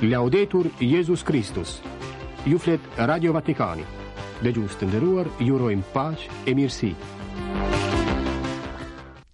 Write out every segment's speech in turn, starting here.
Laudetur Jezus Kristus. Ju flet Radio Vatikani. Dëgjues të nderuar, ju urojmë paqe e mirësi.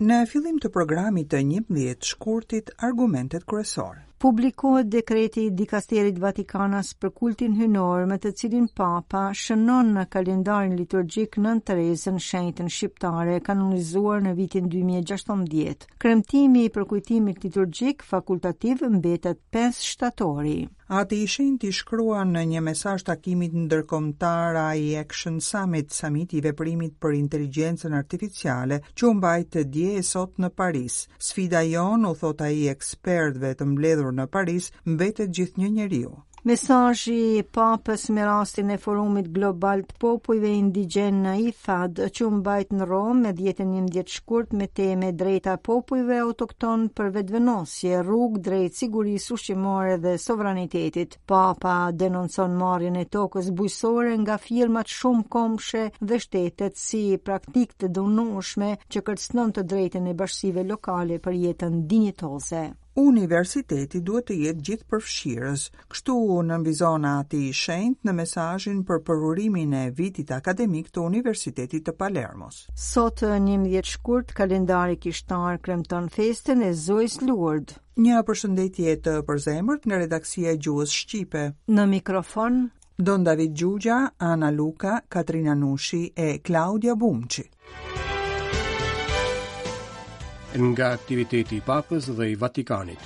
Në fillim të programit të 11 shkurtit, argumentet kryesore. Publikohet dekreti i dikasterit Vatikanas për kultin hyjnor me të cilin Papa shënon në kalendarin liturgjik Nënë Terezën shenjtën shqiptare kanonizuar në vitin 2016. Kremtimi i përkujtimit liturgjik fakultativ mbetet 5 shtatori. Ati i Shenjtë i shkruan në një mesazh takimit ndërkombëtar AI Action Summit, Samiti i Veprimit për Inteligjencën Artificiale, që u mbajt dje e sot në Paris. Sfida jonë, u thotë ai ekspertëve të mbledhur në Paris, mbetet gjithnjë njeriu. Mesazhi i Papës me rastin e Forumit Global të Popujve Indigjenë në IFAD, që u mbajt në Romë me 10 e 11 shkurt me temë e drejta e popujve autoktonë për vetëvendosje, rrugë drejt sigurisë ushqimore dhe sovranitetit. Papa denoncon marrjen e tokës bujqësore nga firmat shumëkombëshe dhe shtetet si praktikë të dhunueshme që kërcënon të drejtën e bashkësive lokale për jetën dinjitoze. Universiteti duhet të jetë gjithëpërfshirës, kështu nënvizon Ati i Shenjtë në mesazhin për përurimin e vitit akademik të Universitetit të Palermos. Sot, 11 shkurt, kalendari kishtar kremton festën e Zojës Lurd. Një përshëndetje të përzemërt nga redaksia e Gjuhës Shqipe. Në mikrofon Don David Xhuxha, Ana Luka, Katrina Nushi e Klaudia Bumçi. Nga aktiviteti i Papës dhe i Vatikanit.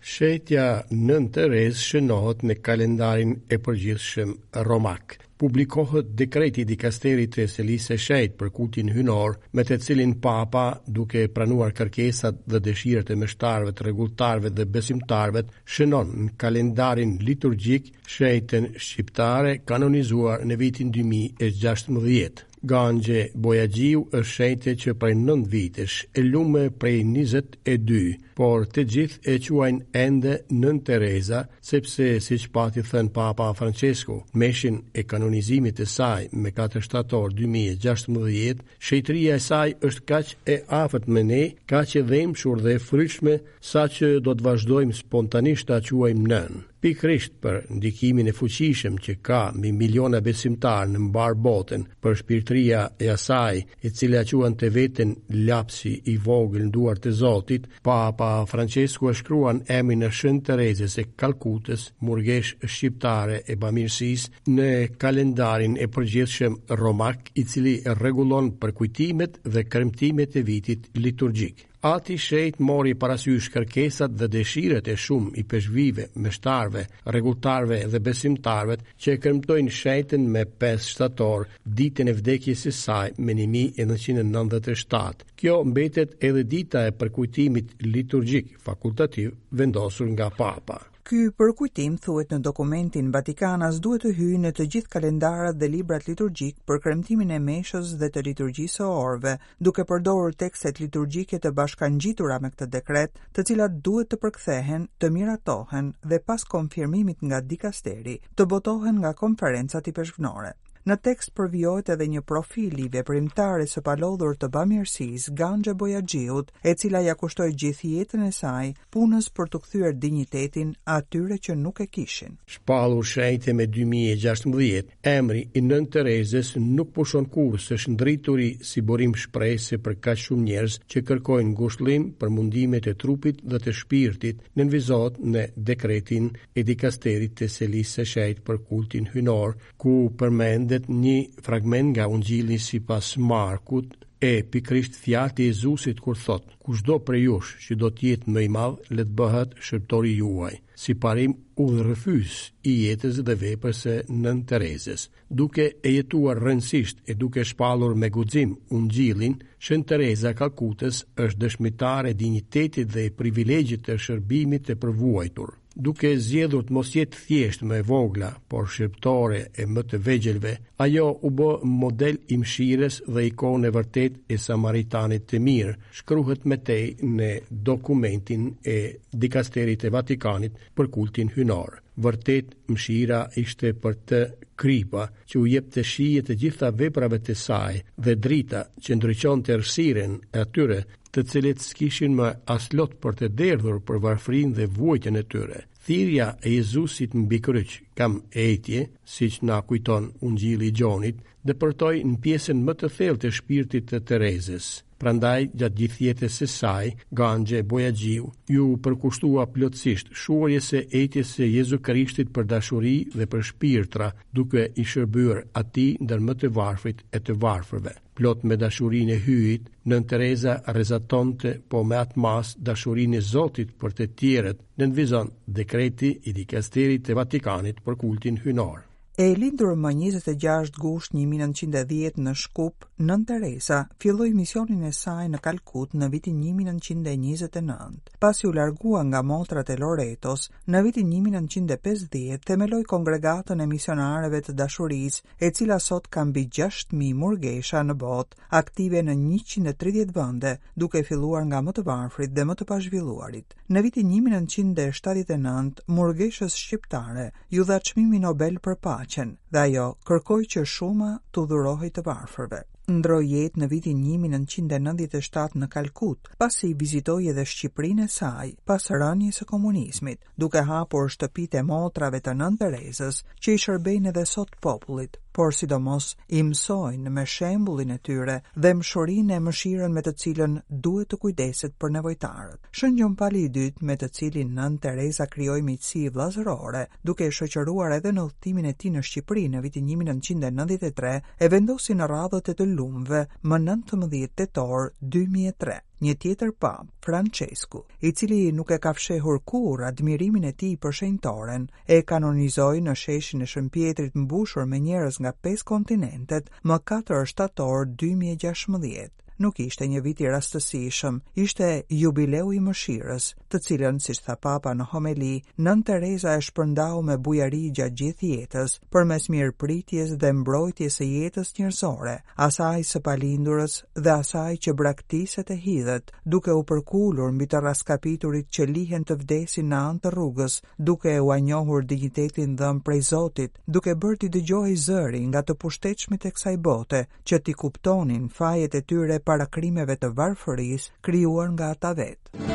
Shenjtja Nënë Terezë shënohet në kalendarin e përgjithshëm romak. Publikohet dekreti i dikasterit të Selisë së Shenjtë për kultin hyjnor, me të cilin Papa, duke pranuar kërkesat dhe dëshirat e meshtarëve, të rregulltarëve dhe besimtarëve, shënon në kalendarin liturgjik shenjtën shqiptare kanonizuar në vitin 2016. Ganxhe Bojaxhiu është shenjte që prej 9 vitesh, e lume prej 22, por të gjithë e quajnë ende Nënë Tereza, sepse siç pati thënë Papa Francesku, meshën e kanonizimit të saj me 4 shtator 2016, shenjtëria e saj është kaq e afërt me ne, kaq e dhembshur dhe e frytshme, saqë do të vazhdojmë spontanisht ta quajmë nënë. Pikërisht për ndikimin e fuqishëm që ka mbi miliona besimtarë në mbarë botën, përshpirtëria e asaj, e cila e quante veten lapsi i vogël në duart e Zotit, Papa Francesku e shkruan emrin e Shën Terezës së Kalkutës, murgeshë shqiptare e bamirësisë, në kalendarin e përgjithshëm romak, i cili rregullon përkujtimet dhe kremtimet e vitit liturgjik. Ati i Shenjtë mori parasysh kërkesat dhe dëshirat e shumë ipeshkvijve, meshtarëve, rregulltarëve dhe besimtarëve që e kremtojnë shenjtën me 5 shtator, ditën e vdekjes së saj më 1997. Kjo mbetet edhe dita e përkujtimit liturgjik fakultativ vendosur nga Papa. Ky përkujtim, thuhet në dokumentin Vatikanas, duhet të hyjë në të gjithë kalendarët dhe librat liturgjikë për kremtimin e meshës dhe të liturgjisë së orëve, duke përdorur tekstet liturgjike të bashkangjitura me këtë dekret, të cilat duhet të përkthehen, të miratohen dhe pas konfirmimit nga dikasteri, të botohen nga konferencat ipeshkvnore. Në tekst përvijohet edhe një profil i veprimtares së palodhur të bamirësisë, Ganxhe Bojaxhiut, e cila ia kushtoi gjithë jetën e saj punës për t'u kthyer dinjitetin atyre që nuk e kishin. Shpallur shenjte me 2016, emri i Nënë Terezës nuk pushon kurrë së shndrituri si burim shprese për kaq shumë njerëz që kërkojnë ngushëllim për mundimet e trupit dhe të shpirtit, nënvizohet në dekretin e dikasterit të Selisë së Shenjtë për kultin hyjnor, ku përmendet një fragment nga Ungjilli sipas Markut, e pikërisht fjalët e Jezusit kur thotë, kushdo prej jush që do të jetë më i madh, le të bëhet shërbëtori juaj, si parim udhërrëfyes i jetës dhe veprës së Nënë Terezës. Duke e jetuar rrënjësisht e duke shpallur me guxim Ungjillin, Shën Tereza e Kalkutës është dëshmitare e dinjitetit dhe e privilegjit të shërbimit të përvuajtur. Duke zgjedhur të mos jetë thjesht më e vogla, por shërbëtore e më të vegjëlve, ajo u bë model i mëshirës dhe ikonë e vërtetë e Samaritanit të Mirë, shkruhet më tej në dokumentin e Dikasterit të Vatikanit për kultin hyjnor. Vërtet, mëshira ishte për të kripa, që u jepte shije të gjitha veprave të saj dhe drita që ndriçonte errësirën e atyre, të cilët s'kishin më as lot për të derdhur për varfërinë dhe vuajtjen e tyre. Thirrja e Jezusit mbi kryq, kam etje, siç na kujton Ungjilli i Gjonit, depërtoi në pjesën më të thellë të shpirtit të Terezës. Prandaj, gjatë gjithë jetës së saj, Ganxhe Bojaxhiu iu përkushtua plotësisht shuarjes së etjes së Jezu Krishtit për dashuri dhe për shpirtra, duke i shërbyer atij ndër më të varfrit e të varfërve. Plot me dashurinë e Hyjit, Nënë Tereza rrezatonte po me atë masë dashurinë e Zotit për të tjerët, nënvizon dekreti i Dikasterit të Vatikanit për kultin hyjnor. E lindur më 26 gusht 1910 në Shkup, Nënë Tereza filloi misionin e saj në Kalkut në vitin 1929. Pasi u largua nga motrat e Loretos, në vitin 1950 themeloi Kongregatën e Misionareve të Dashurisë, e cila sot ka mbi 6000 murgesha në botë, aktive në 130 vende, duke filluar nga më të varfrit dhe më të pazhvilluarit. Në vitin 1979, murgeshës shqiptare iu dha çmimi Nobel për paqen dhe ajo kërkoi që shuma t'u dhurohej të varfërve. Ndërroi jetë në vitin 1997 në Kalkut, pasi vizitoi edhe Shqipërinë e saj pas rënies së komunizmit, duke hapur shtëpitë e motrave të Nënë Terezës, që i shërbejnë edhe sot popullit, por sidomos i mësojnë me shembullin e tyre dhembshurinë e mëshirën me të cilën duhet të kujdeset për nevojtarët. Shën Gjon Pali i Dytë, me të cilin Nënë Tereza krijoi miqësi vëllazërore, duke e shoqëruar edhe në udhëtimin e tij në Shqipëri në vitin 1993, e vendosi në radhët e të lumëve më 19 tetor 2003. Një tjetër papë, Françesku, i cili nuk e ka fshehur kurrë admirimin e tij për shenjtoren, e kanonizoi në sheshin e Shën Pjetrit mbushur me njerëz nga pesë kontinentet më 4 shtator 2016. Nuk ishte një vit i rastësishëm, ishte jubileu i mëshirës, të cilën, siç tha Papa në homeli, Nënë Tereza e shpërndau me bujari gjatë gjithë jetës, përmes mirëpritjes dhe mbrojtjes së jetës njerëzore, asaj së palindurës dhe asaj që braktiset e hidhet, duke u përkulur mbi të rraskapiturit që lihen të vdesin në anë të rrugës, duke ua njohur dinjitetin dhënë prej Zotit, duke bërë t'i dëgjohej zëri nga të pushtetshmit e kësaj bote, që t'i kuptonin fajet e tyre para krimeve të varfërisë krijuar nga ata vetë.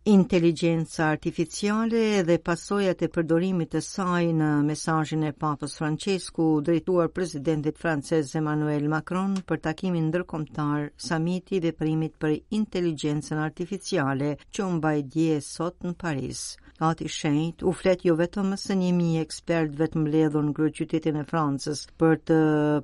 Inteligjenca artificiale dhe pasojat e përdorimit të saj në mesazhin e Papës Françesku drejtuar presidentit francez Emmanuel Macron për takimin ndërkombëtar Samiti i Veprimit për Inteligjencën Artificiale që u mbajt dje sot në Paris. Ati i Shenjtë u flet jo vetëm më se 1000 ekspertëve të mbledhur në kryeqytetin e Francës për të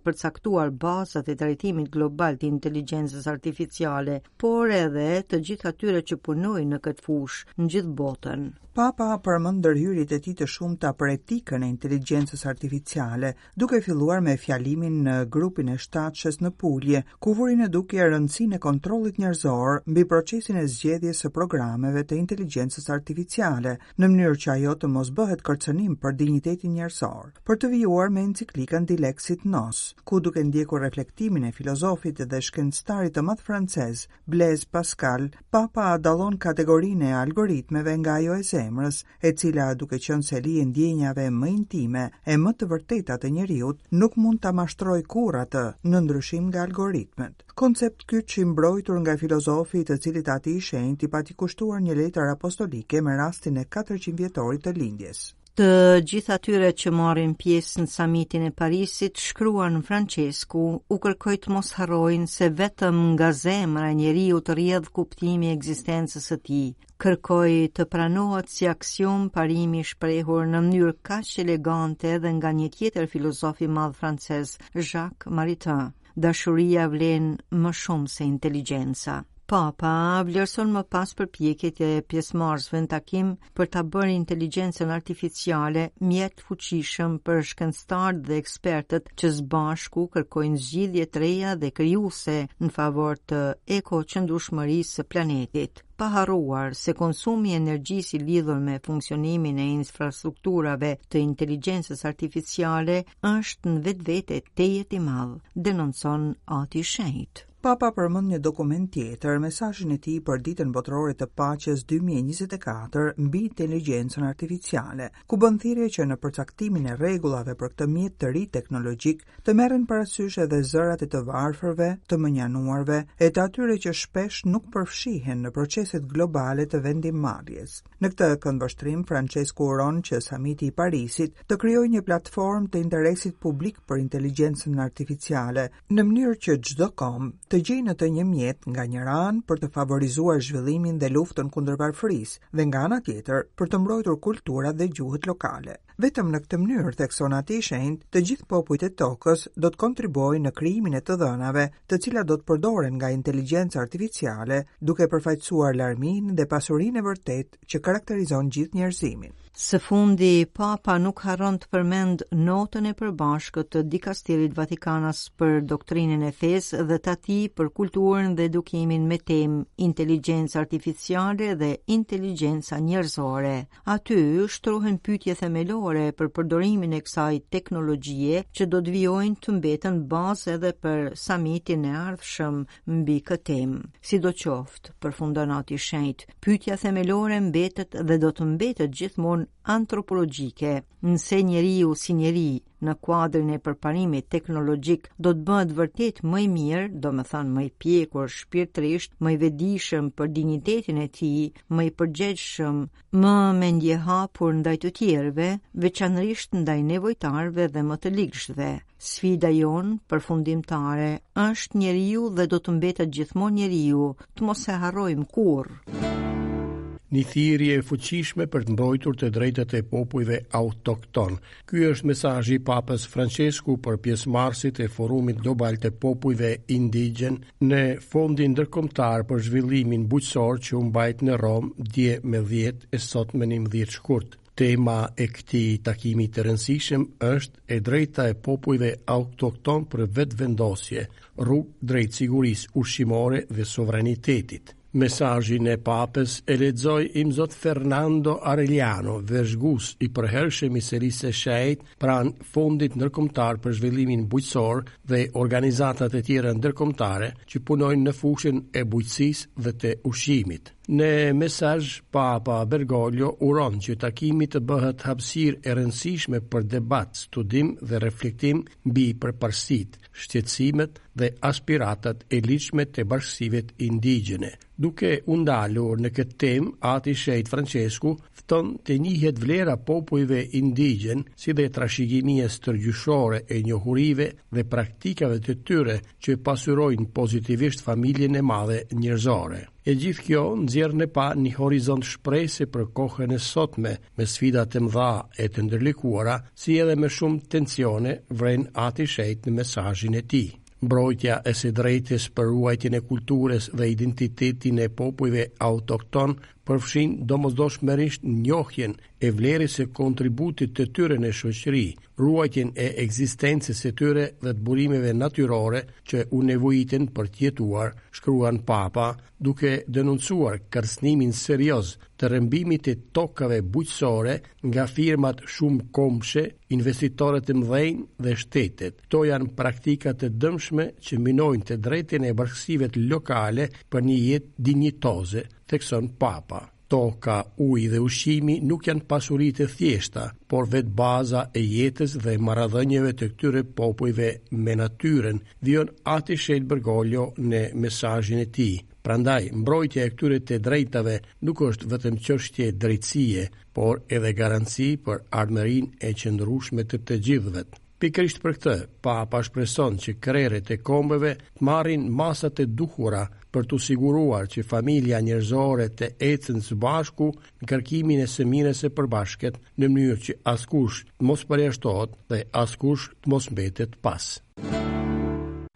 përcaktuar bazat e trajtimit global të inteligjencës artificiale, por edhe të gjithë atyre që punojnë në këtë fushë në gjithë botën. Papa përmend ndërhyrjet e tij të shumta për etikën e inteligjencës artificiale, duke filluar me fjalimin në grupin e shtatëshes në Pulje, ku vuri në dukje rëndësinë e kontrollit njerëzor mbi procesin e zgjedhjes së programeve të inteligjencës artificiale, në mënyrë që ajo të mos bëhet kërcënim për dinjitetin njerëzor, për të vijuar me enciklikën Dilexit Nos, ku duke ndjekur reflektimin e filozofit dhe shkencëtarit të madh francez, Blaise Pascal, Papa dallon kategorinë e algoritmeve nga ajo e zemrës, e cila duke qenë seli e ndjenjave më intime e më të vërteta të njeriut, nuk mund ta mashtrojë kurrë atë, në ndryshim nga algoritmet. Koncept kyç i mbrojtur nga filozofi të cilit Ati i Shenjtë i pati kushtuar një letër apostolike me rastin e 400 vjetorit të lindjes. Të gjithë atyre që marrin pjesë në samitin e Parisit, shkruan Françesku, u kërkoi të mos harrojnë se vetëm nga zemra e njeriut rrjedh kuptimi i ekzistencës së tij. Kërkoi të pranohet si aksiomë parimi i shprehur në mënyrë kaq elegante edhe nga një tjetër filozof i madh francez, Jacques Maritain. Dashuria vlen më shumë se inteligjenca. Papa vlerëson më pas përpjekjet e pjesëmarrësve në takim për ta bërë inteligjencën artificiale mjet të fuqishëm për shkencëtarët dhe ekspertët që së bashku kërkojnë zgjidhje të reja dhe krijuese në favor të ekoqëndrueshmërisë së planetit. Pa harruar se konsumi i energjisë i lidhur me funksionimin e infrastrukturave të inteligjencës artificiale është në vetvete tejet i madh, denoncon Ati i Shenjtë. Papa përmend një dokument tjetër, mesazhin e tij për Ditën Botërore të Paqes 2024 mbi inteligjencën artificiale, ku bën thirrje që në përcaktimin e rregullave për këtë mjet të ri teknologjik të merren parasysh edhe zërat e të varfërve, të mënjanuarve e të atyre që shpesh nuk përfshihen në proceset globale të vendimmarrjes. Në këtë këndvështrim, Françesku uron që Samiti i Parisit të krijojë një platformë të interesit publik për inteligjencën artificiale, në mënyrë që çdo komb të gjejë në të një mjet nga njëra anë për të favorizuar zhvillimin dhe luftën kundër varfërisë dhe nga ana tjetër për të mbrojtur kulturat dhe gjuhët lokale. Vetëm në këtë mënyrë, thekson Ati i Shenjtë, të gjithë popujt e tokës do të kontribuojnë në krijimin e të dhënave, të cilat do të përdoren nga inteligjenca artificiale, duke përfaqësuar larminë dhe pasurinë e vërtetë që karakterizon gjithë njerëzimin. Së fundi, Papa nuk harron të përmendë notën e përbashkët të dikasterit vatikanas për doktrinën e fesë dhe të atij për kulturën dhe edukimin me temë inteligjenca artificiale dhe inteligjenca njerëzore. Aty shtrohen pyetje themelore për përdorimin e kësaj teknologjie që do të vijojnë të mbeten bazë edhe për samitin e ardhshëm mbi këtë temë. Sidoqoftë, përfundon Ati i Shenjtë, pyetja themelore mbetet dhe do të mbetet gjithmonë antropologjike, nëse njeriu si njeri në kuadrin e përparimit teknologjik do të bëhet vërtet më i mirë, domethënë më i pjekur shpirtërisht, më i vetëdijshëm për dinjitetin e tij, më i përgjegjshëm, më mendjehapur ndaj të tjerëve, veçanërisht ndaj nevojtarëve dhe më të ligshtëve. Sfida jonë përfundimtare është njeriu dhe do të mbetet gjithmonë njeriu, të mos e harrojmë kurrë. Një thirrje e fuqishme për të mbrojtur të drejtat e popujve autoktonë. Ky është mesazhi i Papës Françesku për pjesëmarrësit e Forumit Global të Popujve Indigjenë në Fondin Ndërkombëtar për Zhvillimin Bujqësor që u mbajt në Romë dje më 10 e sot më 11 shkurt. Tema e këtij takimi të rëndësishëm është e drejta e popujve autoktonë për vetëvendosje, rrugë drejt sigurisë ushqimore dhe sovranitetit. Mesazhin e Papës e lexoi Imzot Fernando Arellano, vëzhgues i përhershëm i Selisë së Shenjtë pranë Fondit Ndërkombëtar për Zhvillimin Bujqësor dhe organizatat e tjera ndërkombëtare që punojnë në fushën e bujqësisë dhe të ushqimit. Në mesazh, Papa Bergoglio uron që takimi të bëhet hapësirë e rëndësishme për debat, studim dhe reflektim mbi përparësitë, shqetësimet dhe aspiratat e ligjshme të bashkësive indigjene. Duke u ndalur në këtë temë, Ati i Shenjtë Françesku fton të njihet vlera e popujve indigjenë, si dhe trashëgimia stërgjyshore e njohurive dhe praktikave të tyre që pasurojnë pozitivisht familjen e madhe njerëzore. E gjithë kjo nxjerr në pah një horizont shprese për kohën e sotme, me sfida të mëdha e të ndërlikuara, si edhe me shumë tensione, vren Ati i Shenjtë në mesazhin e tij. Mbrojtja e së drejtës për ruajtjen e kulturës dhe identitetin e popujve autoktonë përfshin domosdoshmërisht njohjen e vlerës së kontributit të tyre në shoqëri, ruajtjen e ekzistencës së tyre dhe të burimeve natyrore që u nevojiten për të jetuar, shkruan Papa, duke denoncuar kërcënimin serioz të rrëmbimit të tokave bujqësore nga firmat shumëkombëshe, investitorët e mëdhenj dhe shtetet. Këto janë praktika të dëmshme që minojnë të drejtën e bashkësive lokale për një jetë dinjitoze, thekson Papa. Toka, uji dhe ushqimi nuk janë pasuri të thjeshta, por vetë baza e jetës dhe marrëdhënieve të këtyre popujve me natyrën, vijon Ati i Shenjtë Bergoglio në mesazhin e tij. Prandaj, mbrojtja e këtyre të drejtave nuk është vetëm çështje drejtësie, por edhe garanci për ardhmërinë e qëndrueshme të të gjithëve. Pikërisht për këtë, Papa shpreson që krerët e kombeve të marrin masat e duhura për t'u siguruar që familja njerëzore të ecën së bashku në kërkimin e së mirës së përbashkët, në mënyrë që askush të mos përjashtohet dhe askush të mos mbetet pas.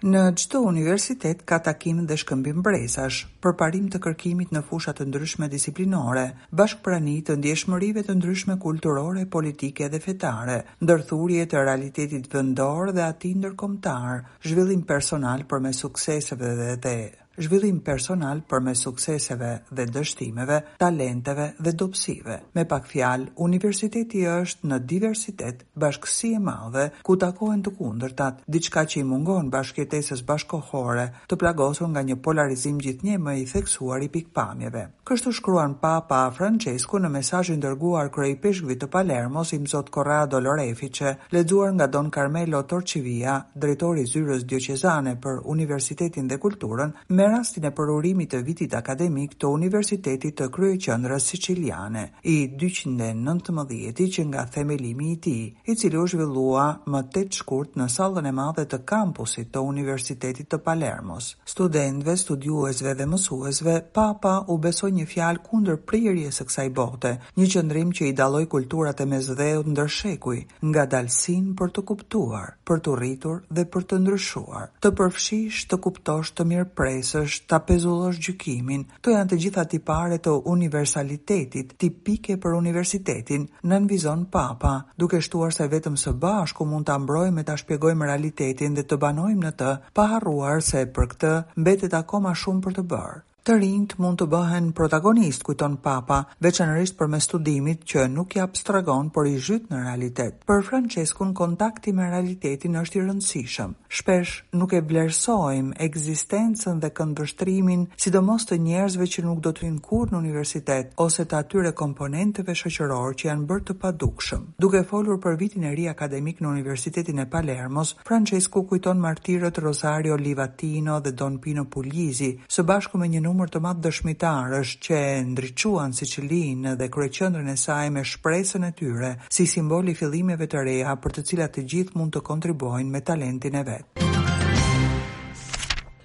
Në çdo universitet ka takim dhe shkëmbim brezash, përparim të kërkimit në fusha të ndryshme disiplinore, bashkëprani të ndjeshmërive të ndryshme kulturore, politike dhe fetare, ndërthurje të realitetit vendor dhe atij ndërkombëtar, zhvillim personal përmes sukseseve dhe. Zhvillim personal përmes sukseseve dhe dështimeve, talenteve dhe dobësive. Me pak fjalë, universiteti është në diversitet, bashkësi e madhe, ku takohen të kundërtat, diçka që i mungon bashkëjetesës bashkëkohore, të plagosur nga një polarizim gjithnjë e më i theksuar i pikëpamjeve. Kështu shkruan Papa Françesku në mesazhin dërguar kryeipeshkvit të Palermos, Imzot Corrado Lorefice, lexuar nga Don Carmelo Torcivia, drejtor i Zyrës Dioqezane për Universitetin dhe Kulturën, me rastin e përurimit të vitit akademik të Universitetit të kryeqendrës siciliane, i 219-ti që nga themelimi i tij, i cili u zhvillua më 8 shkurt në sallën e madhe të kampusit të Universitetit të Palermos. Studentëve, studiuesve dhe mësuesve, Papa u besoi një fjalë kundër prirjes së kësaj bote, një qëndrim që i dalloi kulturat e Mesdheut ndër shekuj, ngadalësinë për të kuptuar, për t'u rritur dhe për të ndryshuar. Të përfshish, të kuptosh, të mirëpresësh, ta pezullosh gjykimin, Këto janë të gjitha tipare të universalitetit, tipike për universitetin, nënvizon Papa, duke shtuar se vetëm së bashku mund ta mbrojmë e ta shpjegojmë realitetin dhe të banojmë në të, pa harruar se për këtë mbetet akoma shumë për të bërë. Të rinjtë mund të bëhen protagonistë, kujton Papa, veçanërisht përmes studimit që nuk i abstragon, por i zhyt në realitet. Për Françeskun kontakti me realitetin është i rëndësishëm. Shpesh nuk e vlerësojmë ekzistencën dhe këndvështrimin, sidomos të njerëzve që nuk do të hyjnë kurrë në universitet ose të atyre komponentëve shoqërorë që janë bërë të padukshëm. Duke folur për vitin e ri akademik në Universitetin e Palermos, Françesku kujton martirët Rosario Livatino dhe Don Pino Puglisi, së bashku me një numër të madh dëshmitarësh që e ndriçuan Sicilinë dhe kryeqendrën e saj me shpresën e tyre, si simbol i fillimeve të reja për të cilat të gjithë mund të kontribuojnë me talentin e vet.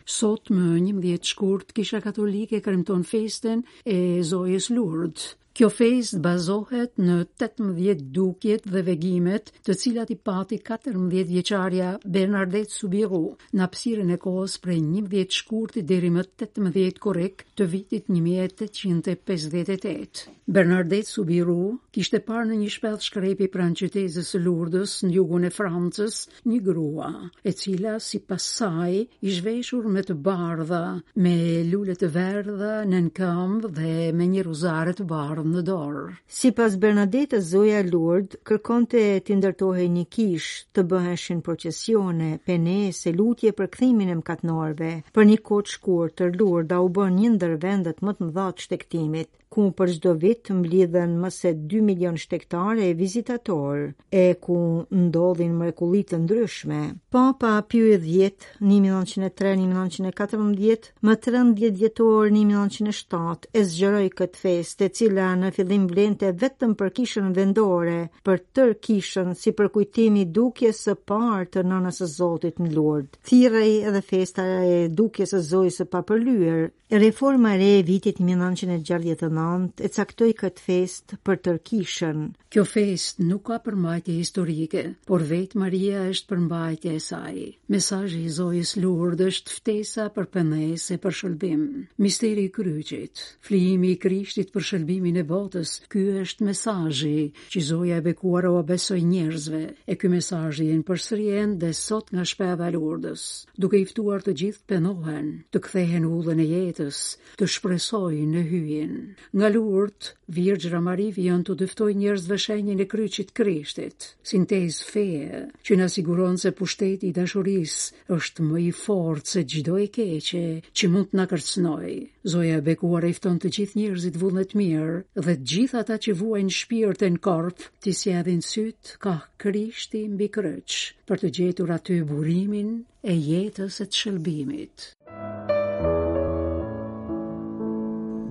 Sot më 11 shkurt, Kisha Katolike kremton festën e Zojës Lurd. Kjo festë bazohet në 18 dukjet dhe vegimet, të cilat i pati 14 vjeçarja Bernadette Soubirous në hapësirën e kohës prej 11 shkurtit deri më 18 korrik të vitit 1858. Bernadette Soubirous kishte parë në një shpellë shkrepi pranë qytezës së Lurdës në jugun e Francës një grua, e cila sipas saj ish veshur me të bardha, me lule të verdha nën këmbë dhe me një rozare të bardhë në dorë. Sipas Bernadetës, Zoja Lurd kërkonte t'i ndërtohej një kishë, të bëheshin procesione, penesë e lutje për kthimin e mëkatnorëve. Për një kohë të shkurtër, Lurda u bë një ndër vendet më të mëdha të shtegtimit. ku për çdo vit mblidhen më se 2 milion shtegtarë e vizitatorë, e ku ndodhin mrekulli të ndryshme. Papa Piu i X, 1903-1914, më 13 dhjetor 1907 e zgjeroi këtë festë, e cila në fillim vlente vetëm për kishën vendore, për tërë kishën si përkujtim i dukjes së parë të Nënës së Zotit në Lurd. Thirrej edhe festa e dukjes së Zojës së Papërlyer, Reforma e re e vitit 1969 e caktoi këtë festë për tërë kishën. Kjo festë nuk ka përmbajtje historike, por vetë Maria është përmbajtja e saj. Mesazhi i Zojës Lurd është ftesa për pendesë e për shëlbim. Misteri i kryqit, flijimi i Krishtit për shëlbimin e botës, ky është mesazhi që Zoja e bekuar ua besoi njerëzve, e ky mesazh vjen përsëri ende sot nga shpella e Lurdës. duke i ftuar të gjithë të pendohen, të kthehen në udhën e jetës, të shpresojnë në Hyjin. Nga Lurd, Virgjëra Mari vijon t'u dëftojë njerëzve shenjën e kryqit Krishtit, sintezë feje, që na siguron se pushteti i dashurisë është më i fortë se çdo e keqe që mund të na kërcënojë. Zoja e bekuar i fton të gjithë njerëzit vullnetmirë dhe të gjithë ata që vuajnë shpirt e në korp t'i sjellin sytë kah Krishti mbi kryq, për të gjetur aty burimin e jetës e të shëlbimit.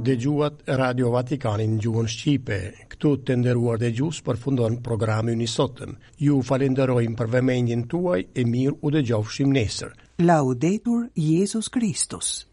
Dëgjuat Radio Vatikanin në gjuhën shqipe. Këtu të nderuar dëgjues përfundon programi ynë i sotëm. Ju falenderojmë për vëmendjen tuaj e mirë u dëgjofshim nesër. Laudetur Jezus Kristus.